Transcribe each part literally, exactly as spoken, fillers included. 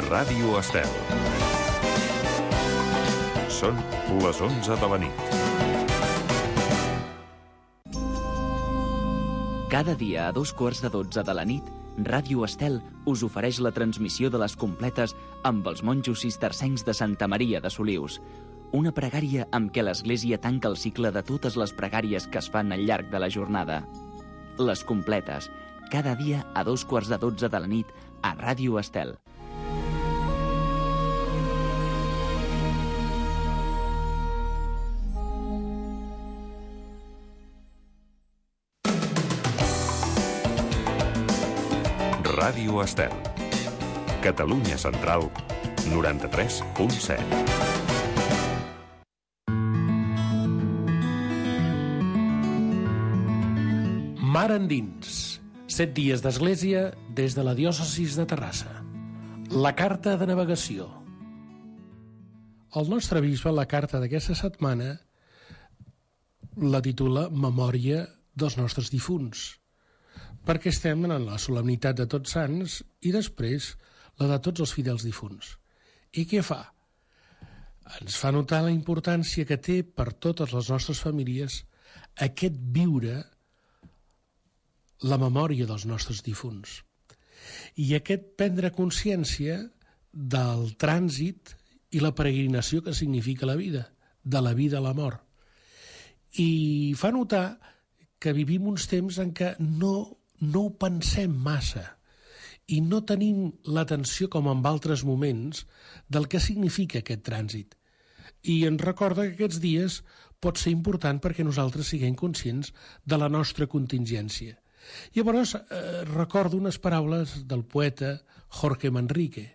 Ràdio Estel. Són les onze de la nit. Cada dia a dos quarts de dotze de la nit, Ràdio Estel us ofereix la transmissió de les completes amb els monjos cistercencs de Santa Maria de Solius. Una pregària amb què l'Església tanca el cicle de totes les pregàries que es fan al llarg de la jornada. Les completes, cada dia a dos quarts de dotze de la nit a Ràdio Estel. Ràdio Estel. Catalunya Central, noranta-tres punt set. Mar endins. Set dies d'església des de la diòcesis de Terrassa. La carta de navegació. El nostre bisbe, la carta d'aquesta setmana, la titula Memòria dels nostres difunts, perquè estem en la solemnitat de Tots Sants i després la de tots els fidels difunts. I què fa? Ens fa notar la importància que té per totes les nostres famílies aquest viure la memòria dels nostres difunts i aquest prendre consciència del trànsit i la peregrinació que significa la vida, de la vida a la mort. I fa notar que vivim uns temps en què no no ho pensem massa i no tenim l'atenció com en altres moments del que significa aquest trànsit. I ens recorda que aquests dies pot ser important perquè nosaltres siguem conscients de la nostra contingència. Llavors eh, recordo unes paraules del poeta Jorge Manrique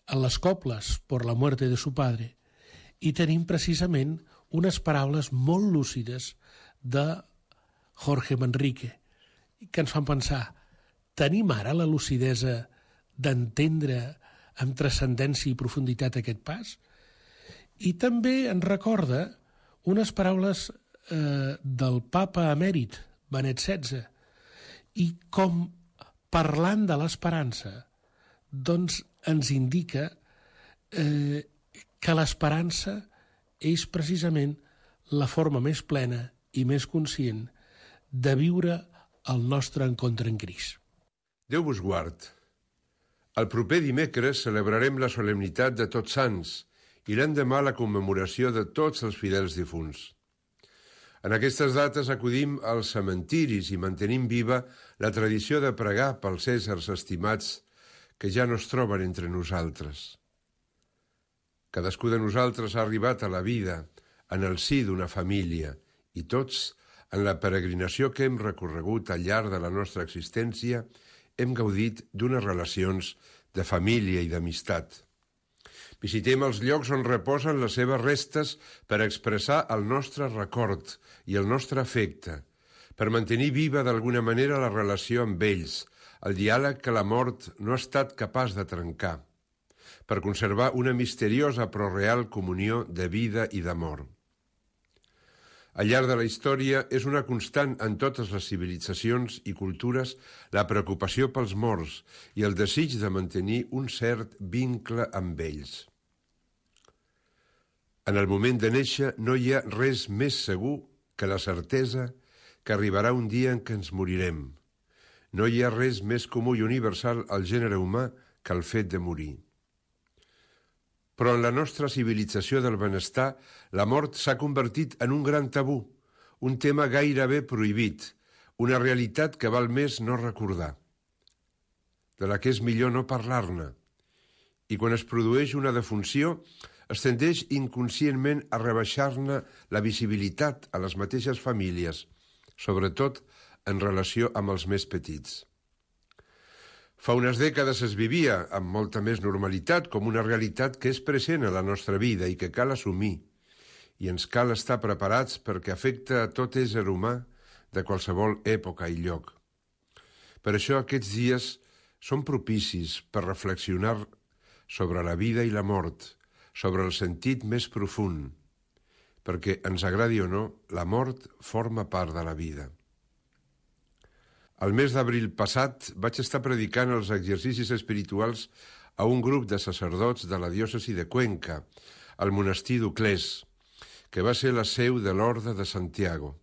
a les coples por la muerte de su padre, i tenim precisament unes paraules molt lúcides de Jorge Manrique que ens fan pensar, tenim ara la lucidesa d'entendre amb transcendència i profunditat aquest pas? I també ens recorda unes paraules eh, del papa emèrit, Benet setze, i com, parlant de l'esperança, doncs ens indica eh, que l'esperança és precisament la forma més plena i més conscient de viure el nostre encontre en Crist. Déu vos guard. El proper dimecres celebrarem la solemnitat de Tots Sants i l'endemà la commemoració de tots els fidels difunts. En aquestes dates acudim als cementiris i mantenim viva la tradició de pregar pels éssers estimats que ja no es troben entre nosaltres. Cadascú de nosaltres ha arribat a la vida en el si d'una família i tots, en la peregrinació que hem recorregut al llarg de la nostra existència, hem gaudit d'unes relacions de família i d'amistat. Visitem els llocs on reposen les seves restes per expressar el nostre record i el nostre afecte, per mantenir viva d'alguna manera la relació amb ells, el diàleg que la mort no ha estat capaç de trencar, per conservar una misteriosa però real comunió de vida i d'amor. Al llarg de la història és una constant en totes les civilitzacions i cultures la preocupació pels morts i el desig de mantenir un cert vincle amb ells. En el moment de néixer no hi ha res més segur que la certesa que arribarà un dia en què ens morirem. No hi ha res més comú i universal al gènere humà que el fet de morir. Però en la nostra civilització del benestar, la mort s'ha convertit en un gran tabú, un tema gairebé prohibit, una realitat que val més no recordar, de la que és millor no parlar-ne. I quan es produeix una defunció, es tendeix inconscientment a rebaixar-ne la visibilitat a les mateixes famílies, sobretot en relació amb els més petits. Fa unes dècades es vivia amb molta més normalitat com una realitat que és present a la nostra vida i que cal assumir, i ens cal estar preparats perquè afecta a tot ésser humà de qualsevol època i lloc. Per això aquests dies són propicis per reflexionar sobre la vida i la mort, sobre el sentit més profund, perquè, ens agradi o no, la mort forma part de la vida. El mes d'abril passat vaig estar predicant els exercicis espirituals a un grup de sacerdots de la diòcesi de Cuenca, al monestir d'Uclés, que va ser la seu de l'Orde de Santiago.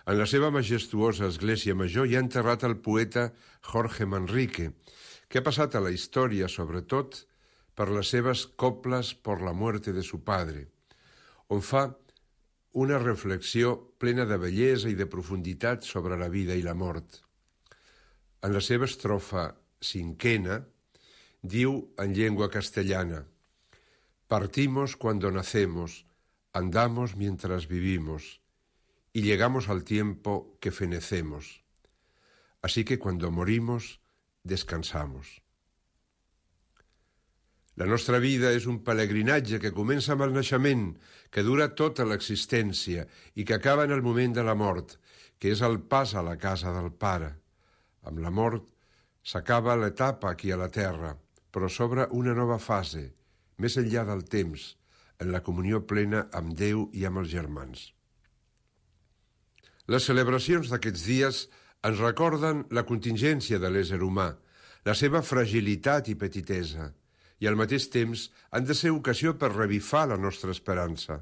En la seva majestuosa església major hi ha enterrat el poeta Jorge Manrique, que ha passat a la història, sobretot, per les seves coples por la muerte de su padre, on fa una reflexió plena de bellesa i de profunditat sobre la vida i la mort. En la seva estrofa cinquena, diu en llengua castellana: «Partimos cuando nacemos, andamos mientras vivimos, y llegamos al tiempo que fenecemos. Así que cuando morimos, descansamos». La nostra vida és un pelegrinatge que comença amb el naixement, que dura tota l'existència i que acaba en el moment de la mort, que és el pas a la casa del Pare. Amb la mort s'acaba l'etapa aquí a la terra, però s'obre una nova fase, més enllà del temps, en la comunió plena amb Déu i amb els germans. Les celebracions d'aquests dies ens recorden la contingència de l'ésser humà, la seva fragilitat i petitesa, i al mateix temps han de ser ocasió per revifar la nostra esperança.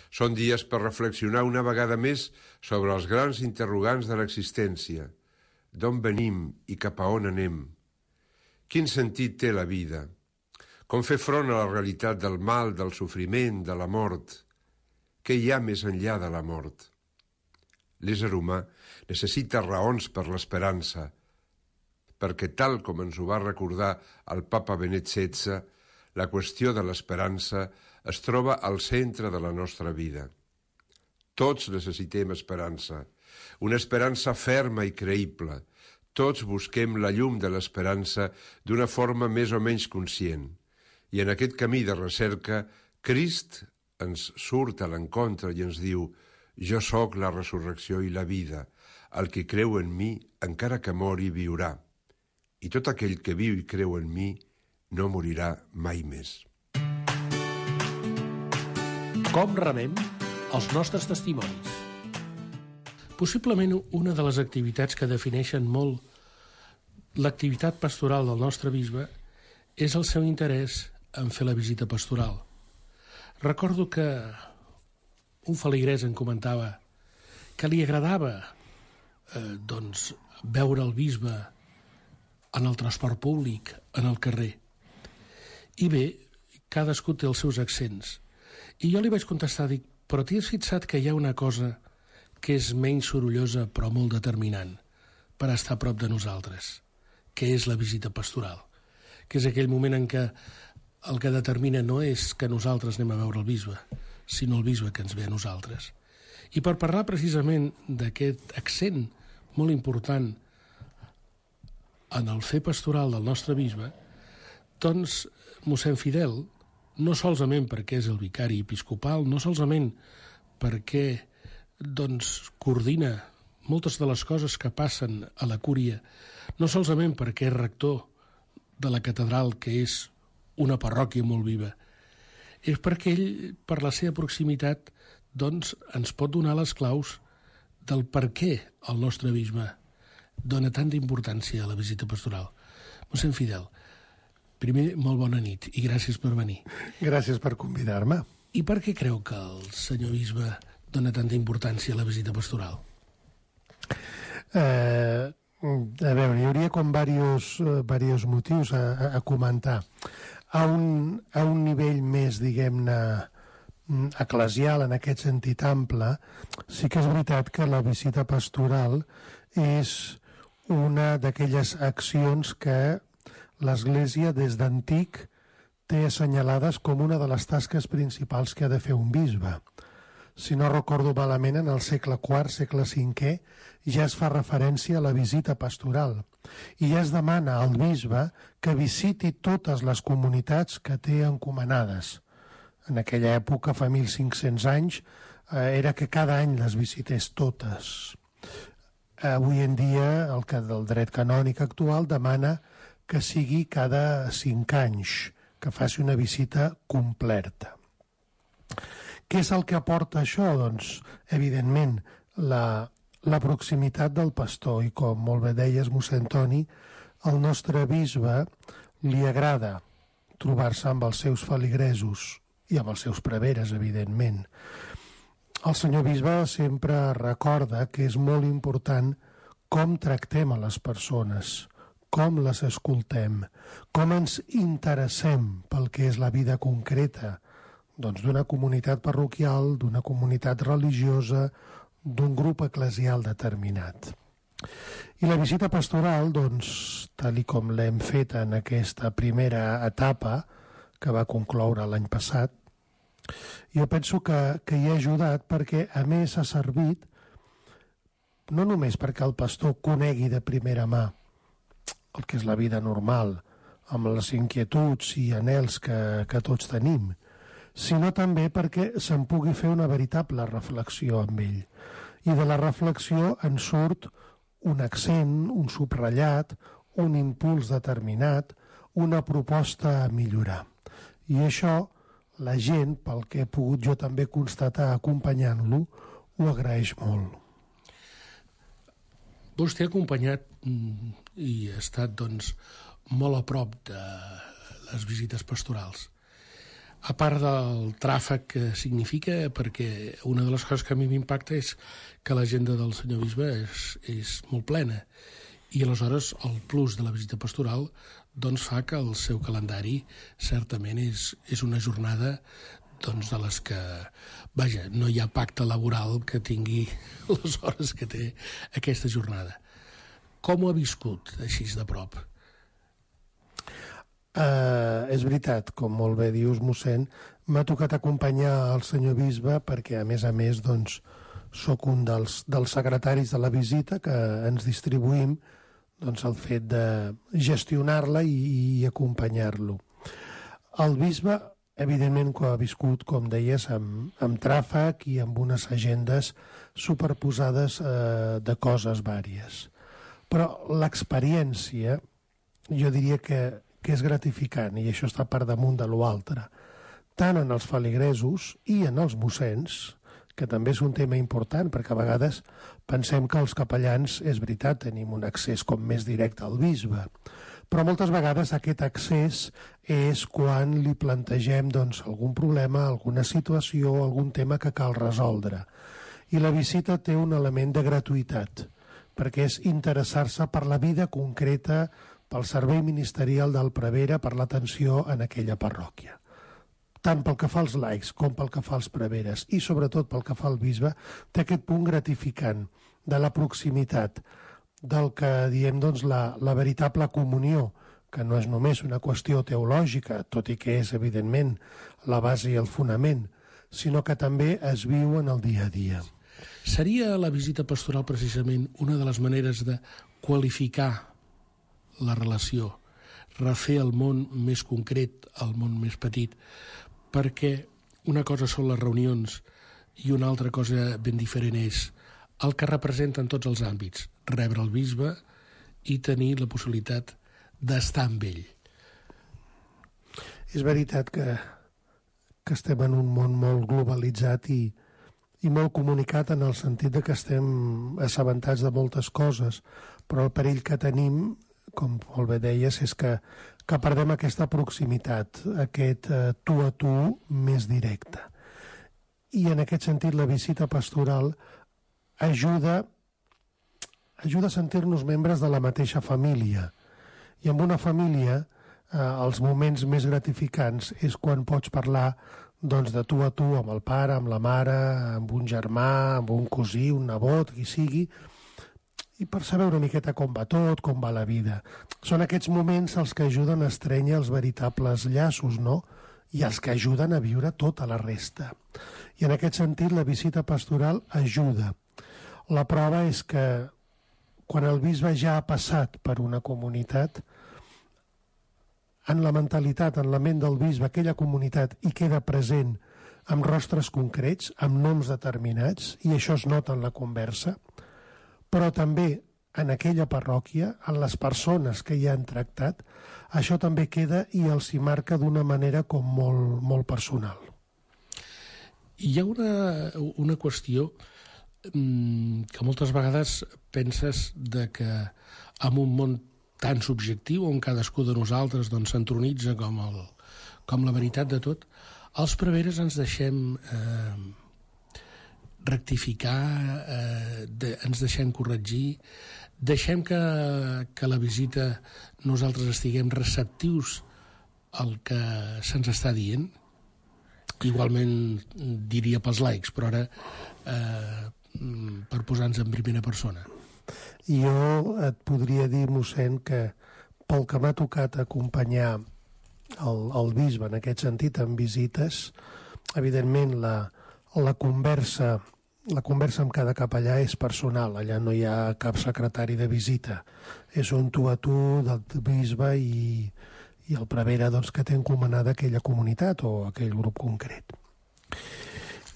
Són dies per reflexionar una vegada més sobre els grans interrogants de l'existència. D'on venim i cap a on anem? Quin sentit té la vida? Com fer front a la realitat del mal, del sofriment, de la mort? Què hi ha més enllà de la mort? L'ésser humà necessita raons per l'esperança, perquè tal com ens ho va recordar el papa Benet setze, la qüestió de l'esperança es troba al centre de la nostra vida. Tots necessitem esperança, una esperança ferma i creïble. Tots busquem la llum de l'esperança d'una forma més o menys conscient. I en aquest camí de recerca, Crist ens surt a l'encontre i ens diu: «Jo sóc la resurrecció i la vida. El que creu en mi, encara que mori, viurà. I tot aquell que viu i creu en mi no morirà mai més». Com rebem els nostres testimonis? Possiblement una de les activitats que defineixen molt l'activitat pastoral del nostre bisbe és el seu interès en fer la visita pastoral. Recordo que un feligrès em comentava que li agradava eh, doncs, veure el bisbe en el transport públic, en el carrer. I bé, cadascú té els seus accents. I jo li vaig contestar, dic, però t'hi has fixat que hi ha una cosa que és menys sorollosa però molt determinant per estar a prop de nosaltres, que és la visita pastoral, que és aquell moment en què el que determina no és que nosaltres anem a veure el bisbe, sinó el bisbe que ens ve a nosaltres. I per parlar precisament d'aquest accent molt important en el fer pastoral del nostre bisbe, doncs mossèn Fidel, no solament perquè és el vicari episcopal, no solament perquè doncs, coordina moltes de les coses que passen a la cúria, no solament perquè és rector de la catedral, que és una parròquia molt viva, és perquè ell, per la seva proximitat, doncs, ens pot donar les claus del per què el nostre bisbe dona tanta importància a la visita pastoral. Mossèn Fidel, primer, molt bona nit i gràcies per venir. Gràcies per convidar-me. I per què creu que el senyor bisbe dona tanta importància a la visita pastoral? Eh, a veure, hi hauria com diversos, diversos motius a, a comentar. A un, a un nivell més, diguem-ne, eclesial, en aquest sentit ample, sí que és veritat que la visita pastoral és una d'aquelles accions que l'Església des d'antic té assenyalades com una de les tasques principals que ha de fer un bisbe. Si no recordo malament, en el segle quart, segle cinquè, ja es fa referència a la visita pastoral i ja es demana al bisbe que visiti totes les comunitats que té encomanades. En aquella època, fa mil cinc-cents anys, eh, era que cada any les visités totes. Avui en dia, el que del dret canònic actual demana que sigui cada cinc anys, que faci una visita completa. Què és el que aporta això? Doncs, evidentment, la, la proximitat del pastor, i com molt bé deies, mossèn Toni, el nostre bisbe li agrada trobar-se amb els seus feligresos i amb els seus preveres, evidentment. El senyor bisbe sempre recorda que és molt important com tractem a les persones, com les escoltem, com ens interessem pel que és la vida concreta doncs, d'una comunitat parroquial, d'una comunitat religiosa, d'un grup eclesial determinat. I la visita pastoral, doncs, tal i com l'hem fet en aquesta primera etapa, que va concloure l'any passat, jo penso que, que hi ha ajudat perquè, a més, ha servit no només perquè el pastor conegui de primera mà el que és la vida normal, amb les inquietuds i anhels que, que tots tenim, sinó també perquè se'n pugui fer una veritable reflexió amb ell. I de la reflexió en surt un accent, un subratllat, un impuls determinat, una proposta a millorar. I això, la gent, pel que he pogut jo també constatar acompanyant-lo, ho agraeix molt. Vostè ha acompanyat i ha estat doncs, molt a prop de les visites pastorals. A part del tràfic que significa, perquè una de les coses que a mi m'impacta és que l'agenda del senyor bisbe és, és molt plena i aleshores el plus de la visita pastoral doncs, fa que el seu calendari certament és, és una jornada doncs, de les que, vaja, no hi ha pacte laboral que tingui les hores que té aquesta jornada. Com ho ha viscut així de prop? Uh, és veritat, com molt bé dius, mossèn, m'ha tocat acompanyar el senyor bisbe perquè, a més a més, doncs, sóc un dels, dels secretaris de la visita que ens distribuïm doncs, el fet de gestionar-la i, i acompanyar-lo. El bisbe, evidentment, que ha viscut, com deies, amb, amb tràfic i amb unes agendes superposades eh, de coses vàries. Però l'experiència, jo diria que que és gratificant, i això està per damunt de l'altre, tant en els feligresos i en els mossens, que també és un tema important, perquè a vegades pensem que els capellans, és veritat, tenim un accés com més directe al bisbe, però moltes vegades aquest accés és quan li plantegem doncs, algun problema, alguna situació, algun tema que cal resoldre. I la visita té un element de gratuïtat, perquè és interessar-se per la vida concreta, pel servei ministerial del prevere, per l'atenció en aquella parròquia. Tant pel que fa als laics com pel que fa als preveres i sobretot pel que fa al bisbe, té aquest punt gratificant de la proximitat, del que diem doncs, la, la veritable comunió, que no és només una qüestió teològica, tot i que és evidentment la base i el fonament, sinó que també es viu en el dia a dia. Seria la visita pastoral precisament una de les maneres de qualificar la relació, refer el món més concret, el món més petit, perquè una cosa són les reunions i una altra cosa ben diferent és el que representa en tots els àmbits, rebre el bisbe i tenir la possibilitat d'estar amb ell. És veritat que, que estem en un món molt globalitzat i, i molt comunicat en el sentit de que estem assabentats de moltes coses, però el perill que tenim, com molt bé deies, és que, que perdem aquesta proximitat, aquest eh, tu a tu més directe. I en aquest sentit la visita pastoral ajuda, ajuda a sentir-nos membres de la mateixa família. I amb una família eh, els moments més gratificants és quan pots parlar doncs, de tu a tu amb el pare, amb la mare, amb un germà, amb un cosí, un nebot, qui sigui, i per saber una miqueta com va tot, com va la vida. Són aquests moments els que ajuden a estrènyer els veritables llaços, no? I els que ajuden a viure tota la resta. I en aquest sentit la visita pastoral ajuda. La prova és que quan el bisbe ja ha passat per una comunitat, en la mentalitat, en la ment del bisbe, aquella comunitat hi queda present amb rostres concrets, amb noms determinats, i això es nota en la conversa, però també en aquella parròquia, en les persones que hi han tractat, això també queda i els hi marca d'una manera com molt, molt personal. Hi ha una, una qüestió que moltes vegades penses de que en un món tan subjectiu on cadascú de nosaltres doncs, s'entronitza com, el, com la veritat de tot, els preveres ens deixem eh, rectificar, eh, de, ens deixem corregir, deixem que, que la visita nosaltres estiguem receptius al que se'ns està dient. Igualment diria pels laics, però ara eh, per posar-nos en primera persona. Jo et podria dir, mossèn, que pel que m'ha tocat acompanyar el, el bisbe en aquest sentit en visites, evidentment la, la conversa la conversa amb cada capellà és personal, allà no hi ha cap secretari de visita, és un tu a tu del bisbe i, i el prevere doncs, que té encomanada aquella comunitat o aquell grup concret.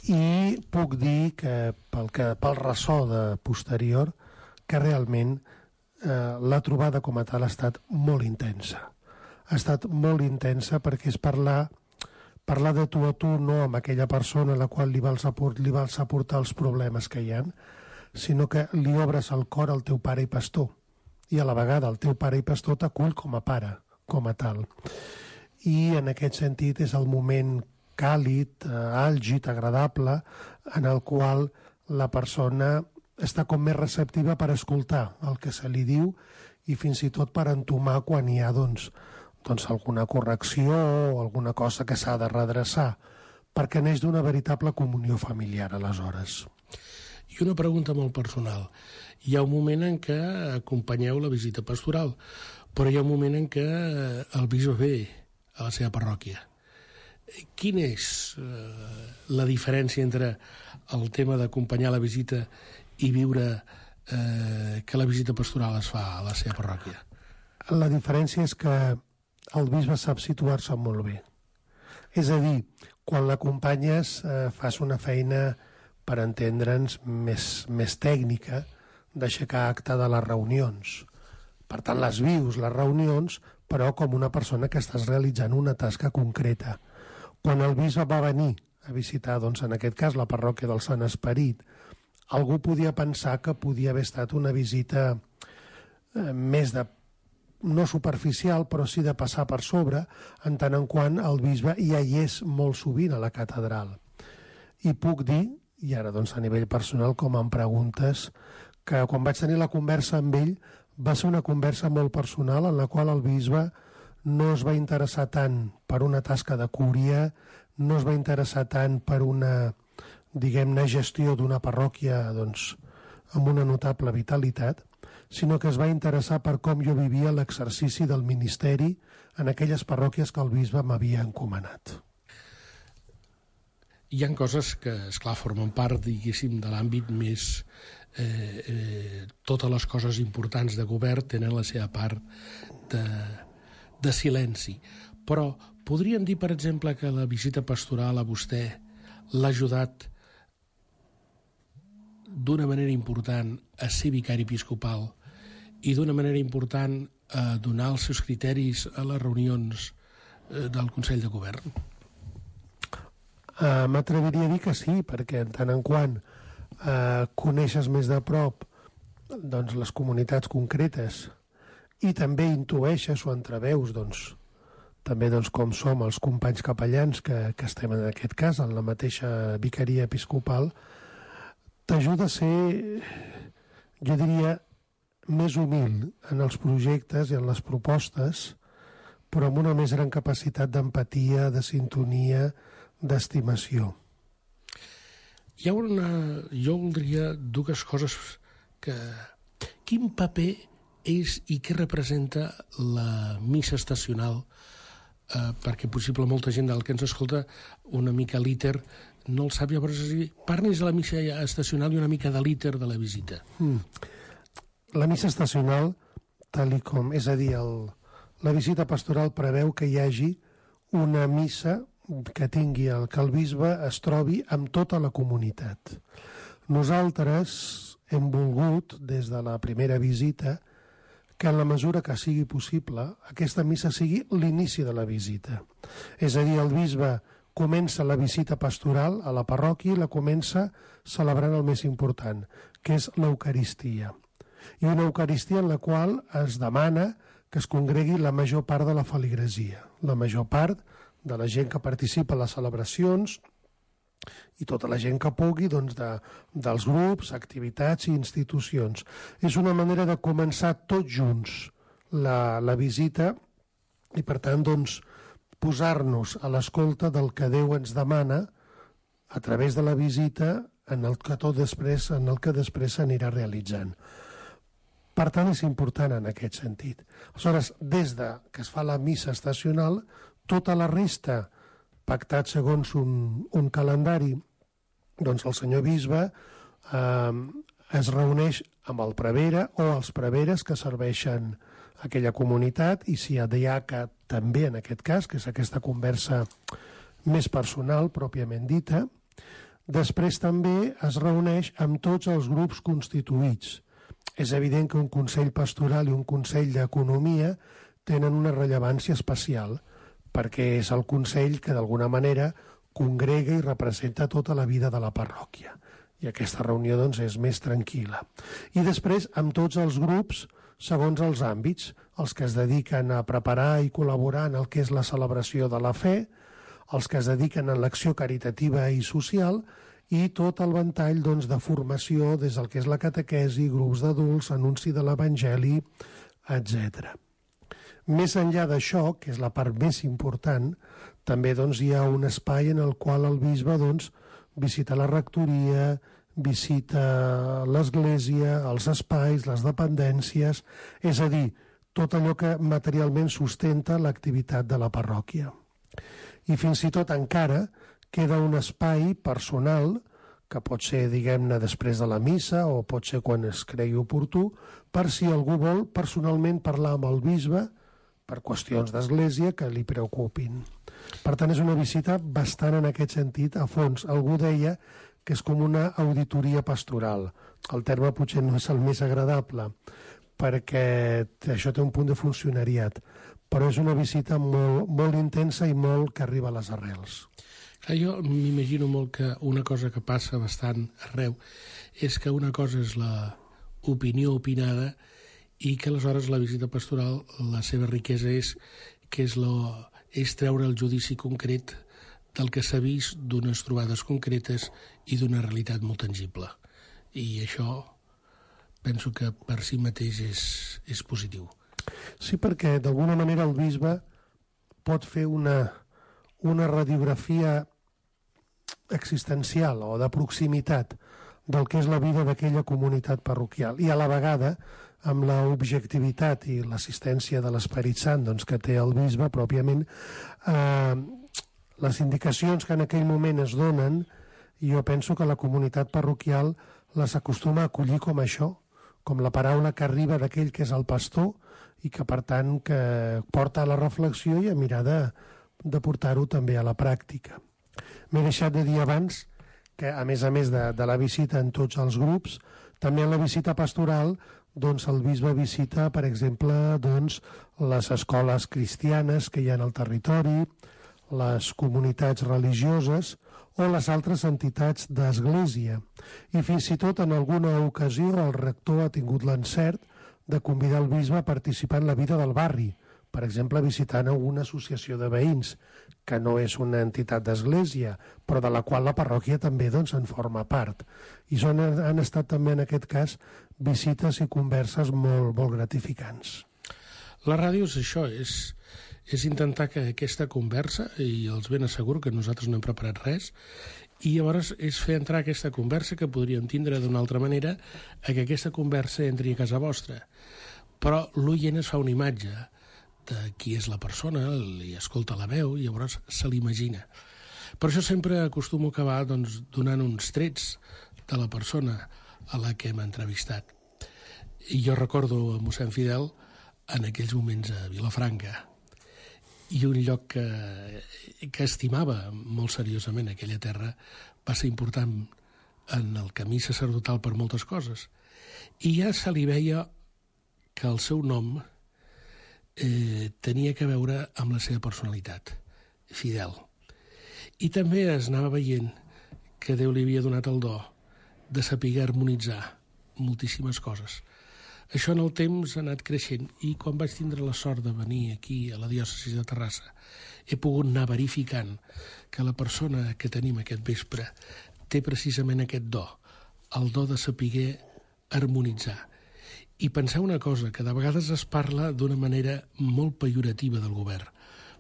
I puc dir que pel, que, pel ressò de posterior que realment eh, la trobada com a tal ha estat molt intensa. Ha estat molt intensa perquè és parlar parlar de tu a tu no amb aquella persona a la qual li vols, aport, li vols aportar els problemes que hi ha, sinó que li obres el cor al teu pare i pastor. I a la vegada el teu pare i pastor t'acull com a pare, com a tal. I en aquest sentit és el moment càlid, eh, àlgid, agradable, en el qual la persona està com més receptiva per escoltar el que se li diu i fins i tot per entomar quan hi ha doncs, doncs alguna correcció o alguna cosa que s'ha de redreçar, perquè neix d'una veritable comunió familiar aleshores. I una pregunta molt personal. Hi ha un moment en què acompanyeu la visita pastoral, però hi ha un moment en què el bisbe ve a la seva parròquia. Quina és eh, la diferència entre el tema d'acompanyar la visita i viure eh, que la visita pastoral es fa a la seva parròquia? La diferència és que el bisbe sap situar-se molt bé. És a dir, quan l'acompanyes eh, fas una feina, per entendre'ns, més, més tècnica d'aixecar acte de les reunions. Per tant, les vius, les reunions, però com una persona que estàs realitzant una tasca concreta. Quan el bisbe va venir a visitar, doncs, en aquest cas, la parròquia del Sant Esperit, algú podia pensar que podia haver estat una visita eh, més de no superficial, però sí de passar per sobre, en tant en quant el bisbe ja hi és molt sovint a la catedral. I puc dir, i ara doncs a nivell personal, com em preguntes, que quan vaig tenir la conversa amb ell va ser una conversa molt personal en la qual el bisbe no es va interessar tant per una tasca de cúria, no es va interessar tant per una, diguem-ne, gestió d'una parròquia doncs, amb una notable vitalitat, sinó que es va interessar per com jo vivia l'exercici del ministeri en aquelles parròquies que el bisbe m'havia encomanat. Hi ha coses que, esclar, formen part, diguéssim, de l'àmbit més... Eh, eh, totes les coses importants de govern tenen la seva part de, de silenci. Però podríem dir, per exemple, que la visita pastoral a vostè l'ha ajudat d'una manera important a ser vicari episcopal i d'una manera important a donar els seus criteris a les reunions del Consell de Govern? Uh, M'atreviria a dir que sí, perquè en tant en quant uh, coneixes més de prop doncs, les comunitats concretes i també intueixes o entreveus doncs, també doncs, com som els companys capellans que, que estem en aquest cas en la mateixa vicaria episcopal, t'ajuda a ser, jo diria, més humil en els projectes i en les propostes, però amb una més gran capacitat d'empatia, de sintonia, d'estimació. Hi ha una... Jo voldria dues coses que... Quin paper és i què representa la missa estacional? Eh, perquè possible molta gent del que ens escolta una mica l'íter no el sap, llavors parlis de la missa estacional i una mica de l'íter de la visita. Mm. La missa estacional, tal i com, és a dir, el, la visita pastoral preveu que hi hagi una missa que tingui el, que el bisbe es trobi amb tota la comunitat. Nosaltres hem volgut, des de la primera visita, que en la mesura que sigui possible, aquesta missa sigui l'inici de la visita. És a dir, el bisbe comença la visita pastoral a la parròquia i la comença celebrant el més important, que és l'Eucaristia. I una Eucaristia en la qual es demana que es congregui la major part de la feligresia, la major part de la gent que participa a les celebracions i tota la gent que pugui, doncs, de, dels grups, activitats i institucions. És una manera de començar tots junts la, la visita i, per tant, doncs, posar-nos a l'escolta del que Déu ens demana a través de la visita en el que tot després, en el que després s'anirà realitzant. Per tant, és important en aquest sentit. Aleshores, des de que es fa la missa estacional, tota la resta, pactat segons un, un calendari, doncs el senyor bisbe eh, es reuneix amb el prevere o els preveres que serveixen aquella comunitat, i si hi ha diaca també en aquest cas, que és aquesta conversa més personal, pròpiament dita. Després també es reuneix amb tots els grups constituïts. És evident que un Consell Pastoral i un Consell d'Economia tenen una rellevància especial, perquè és el Consell que d'alguna manera congrega i representa tota la vida de la parròquia. I aquesta reunió, doncs, és més tranquil·la. I després amb tots els grups segons els àmbits, els que es dediquen a preparar i col·laborar en el que és la celebració de la fe, els que es dediquen a l'acció caritativa i social, i tot el ventall, doncs, de formació des del que és la catequesi, grups d'adults, anunci de l'Evangeli, etcètera. Més enllà d'això, que és la part més important, també, doncs, hi ha un espai en el qual el bisbe, doncs, visita la rectoria, visita l'església, els espais, les dependències, és a dir, tot allò que materialment sustenta l'activitat de la parròquia. I fins i tot encara queda un espai personal, que pot ser, diguem-ne, després de la missa o pot ser quan es cregui oportú, per si algú vol personalment parlar amb el bisbe per qüestions d'església que li preocupin. Per tant, és una visita bastant en aquest sentit a fons. Algú deia que és com una auditoria pastoral. El terme potser no és el més agradable, perquè això té un punt de funcionariat, però és una visita molt, molt intensa i molt que arriba a les arrels. Clar, jo m'imagino molt que una cosa que passa bastant arreu és que una cosa és la opinió opinada i que aleshores la visita pastoral, la seva riquesa és que és, lo, és treure el judici concret del que s'ha vist d'unes trobades concretes i d'una realitat molt tangible. I això penso que per si mateix és, és positiu. Sí, perquè d'alguna manera el bisbe pot fer una, una radiografia existencial o de proximitat del que és la vida d'aquella comunitat parroquial i a la vegada amb l'objectivitat i l'assistència de l'Esperit Sant, doncs, que té el bisbe pròpiament, eh, les indicacions que en aquell moment es donen, jo penso que la comunitat parroquial les acostuma a acollir com això, com la paraula que arriba d'aquell que és el pastor i que, per tant, que porta a la reflexió i a mirar de, de portar-ho també a la pràctica. M'he deixat de dir abans que, a més a més de, de la visita en tots els grups, també en la visita pastoral, doncs, el bisbe visita, per exemple, doncs, les escoles cristianes que hi ha al territori, les comunitats religioses o les altres entitats d'església. I fins i tot en alguna ocasió el rector ha tingut l'encert de convidar el bisbe a participar en la vida del barri, per exemple, visitant una associació de veïns, que no és una entitat d'església, però de la qual la parròquia també, doncs, en forma part. I són, han estat també, en aquest cas, visites i converses molt, molt gratificants. La ràdio és això, és, és intentar que aquesta conversa, i els ben asseguro que nosaltres no hem preparat res, i llavors és fer entrar aquesta conversa que podríem tindre d'una altra manera a que aquesta conversa entri a casa vostra. Però l'oient es fa una imatge de qui és la persona, li escolta la veu i llavors se l'imagina. Per això sempre acostumo a acabar, doncs, donant uns trets de la persona a la que hem entrevistat. I jo recordo a mossèn Fidel en aquells moments a Vilafranca, i un lloc que, que estimava molt seriosament aquella terra va ser important en el camí sacerdotal per moltes coses. I ja se li veia que el seu nom eh, tenia que veure amb la seva personalitat, Fidel. I també es anava veient que Déu li havia donat el do de saber harmonitzar moltíssimes coses. Això en el temps ha anat creixent i quan vaig tindre la sort de venir aquí a la diòcesi de Terrassa he pogut anar verificant que la persona que tenim aquest vespre té precisament aquest do, el do de saber harmonitzar. I pensar una cosa, que de vegades es parla d'una manera molt pejorativa del govern,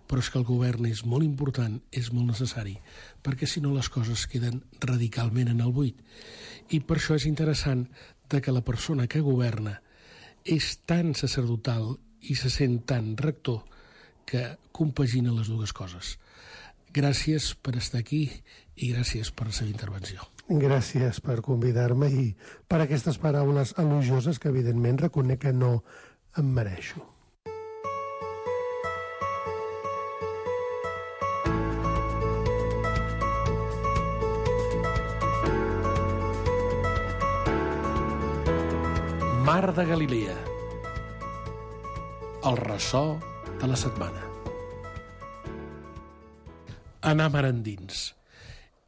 però és que el govern és molt important, és molt necessari, perquè si no les coses queden radicalment en el buit. I per això és interessant de que la persona que governa és tan sacerdotal i se sent tan rector que compagina les dues coses. Gràcies per estar aquí i gràcies per la seva intervenció. Gràcies per convidar-me i per aquestes paraules elogioses que evidentment reconec que no em mereixo. Mar de Galilea. El ressò de la setmana. Anar mar endins.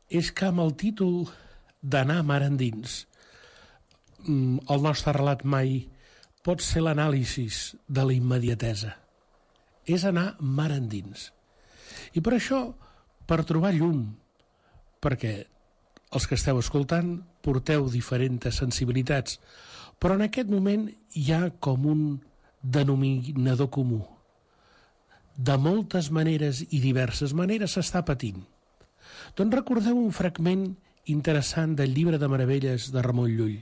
És que amb el títol d'anar mar endins el nostre relat mai pot ser l'anàlisi de la immediatesa. És anar mar endins. I per això, per trobar llum, perquè els que esteu escoltant porteu diferents sensibilitats, però en aquest moment hi ha com un denominador comú. De moltes maneres i diverses maneres s'està patint. Doncs recordeu un fragment interessant del llibre de meravelles de Ramon Llull.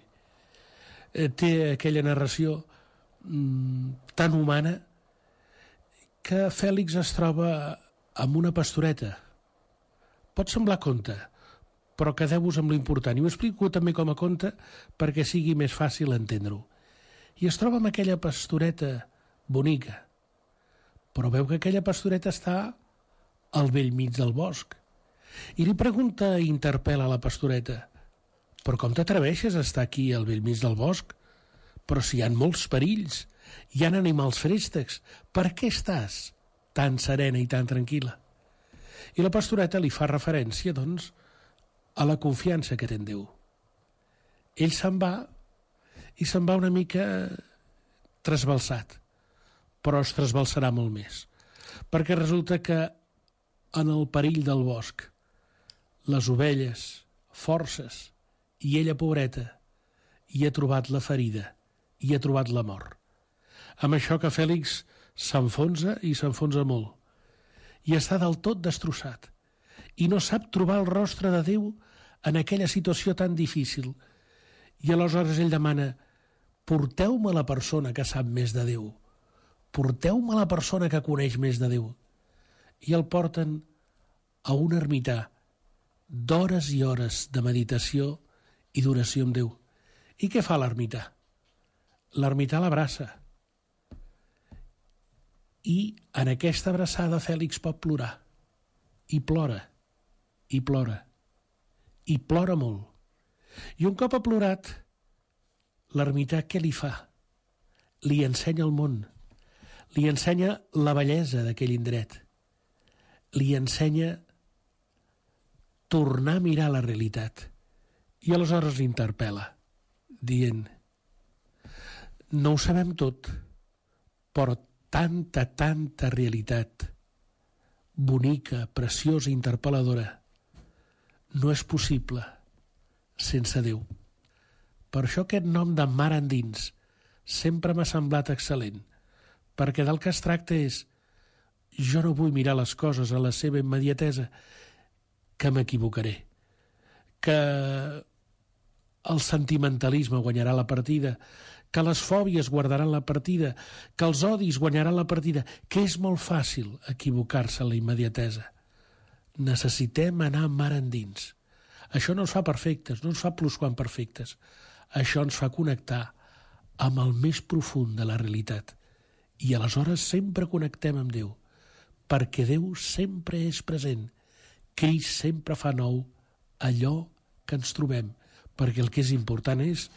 Eh, té aquella narració mm, tan humana que Fèlix es troba amb una pastoreta. Pot semblar conte, però quedeu-vos amb l'important. I ho explico també com a conte perquè sigui més fàcil entendre-ho. I es troba amb aquella pastoreta bonica, però veu que aquella pastoreta està al bell mig del bosc. I li pregunta i interpel·la a la pastoreta: però com t'atreveixes a estar aquí al bell mig del bosc? Però si hi ha molts perills, hi ha animals fréstecs, per què estàs tan serena i tan tranquil·la? I la pastoreta li fa referència, doncs, a la confiança que té en Déu. Ell se'n va i se'n va una mica trasbalsat, però es trasbalsarà molt més, perquè resulta que en el perill del bosc les ovelles, forces, i ella, pobreta, hi ha trobat la ferida, hi ha trobat la mort. Amb això que Fèlix s'enfonsa i s'enfonsa molt, i està del tot destrossat, i no sap trobar el rostre de Déu en aquella situació tan difícil. I aleshores ell demana: porteu-me la persona que sap més de Déu, porteu-me la persona que coneix més de Déu. I el porten a un ermità d'hores i hores de meditació i d'oració amb Déu. I què fa l'ermità? L'ermità l'abraça. I en aquesta abraçada Fèlix pot plorar. I plora, i plora, i plora molt. I un cop ha plorat, l'ermità què li fa? Li ensenya el món, li ensenya la bellesa d'aquell indret, li ensenya tornar a mirar la realitat. I aleshores l'interpel·la, dient: no ho sabem tot, però tanta, tanta realitat bonica, preciosa, interpel·ladora, no és possible sense Déu. Per això aquest nom de mar endins sempre m'ha semblat excel·lent, perquè del que es tracta és: jo no vull mirar les coses a la seva immediatesa, que m'equivocaré, que el sentimentalisme guanyarà la partida, que les fòbies guardaran la partida, que els odis guanyaran la partida, que és molt fàcil equivocar-se a la immediatesa. Necessitem anar mar endins. Això no ens fa perfectes, no ens fa plusquamperfectes. Això ens fa connectar amb el més profund de la realitat. I aleshores sempre connectem amb Déu, perquè Déu sempre és present. Crist sempre fa nou allò que ens trobem, perquè el que és important és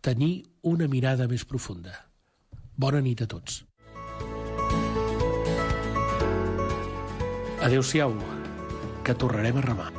tenir una mirada més profunda. Bona nit a tots. Adéu-siau, que tornarem a remar.